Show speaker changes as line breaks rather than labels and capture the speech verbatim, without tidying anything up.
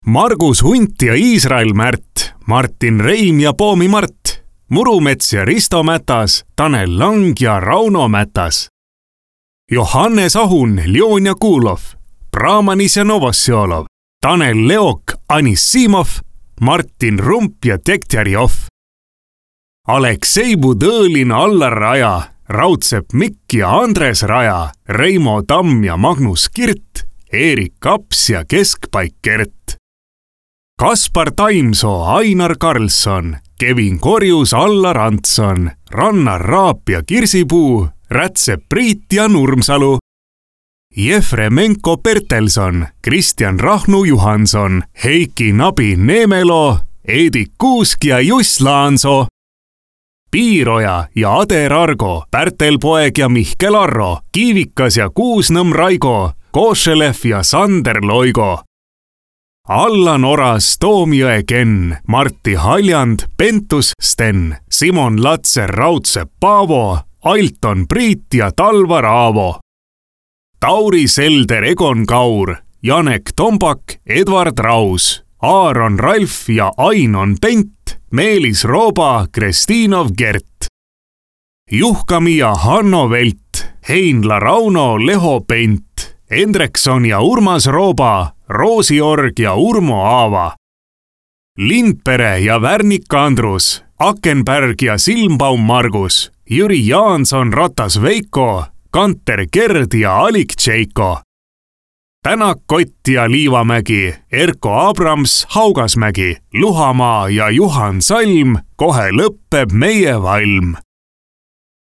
Margus Hunt ja Iisrael Märt, Martin Reim ja Poomi Mart, Murumets ja Risto Mätas, Tanel Lang ja Rauno Mätas. Johannes Ahun, Ljon ja Kuulov, Brahmanis ja Novosjolov, Tanel Leok, Anissimov, Martin Rump ja Tektjarjov. Aleksei Budõlin, Allar Raja, Raudsepp Mikk ja Andres Raja, Reimo Tamm ja Magnus Kirt, Eerik Kaps ja Keskpaik Kert. Kaspar Taimsoo, Ainar Karlsson, Kevin Korjus, Allar Antson, Rannar Raap ja Kirsipuu, Rätsep Priit ja Nurmsalu. Jefremenko Bertelson, Kristjan Rahnu Juhanson, Heiki Nabi Neemelo, Eedik Kuusk ja Juss Laansoo. Piiroja ja Ader Argo, Pärtel Poeg ja Mihkel Arro, Kiivikas ja Kuusnõmm Raigo, Košelev ja Sander Loigo. Allan Oras, Toomjõe Ken, Martti Haljand, Pentus Sten, Simon Latser, Raudsepp Paavo, Ailton Priit ja Talvar Aavo. Tauri Selder, Egon Kaur, Janek Tombak, Edvard Raus, Aaron Ralf ja Ainon Pent, Meelis Rooba, Kristinov Gert. Juhkami ja Hanno Velt, Heinla Rauno, Leho Pent, Endrekson ja Urmas Rooba, Roosi Org ja Urmo Aava. Lindpere ja Värnik Andrus, Akenberg ja Silmbaum Margus, Jüri Jaanson, Ratas Veiko, Kanter Gerd ja Alik Tšeiko. Tänak Kott ja Liivamägi, Erko Abrams, Haugasmägi, Luhamaa ja Juhan Salm, kohe lõppeb meie valm.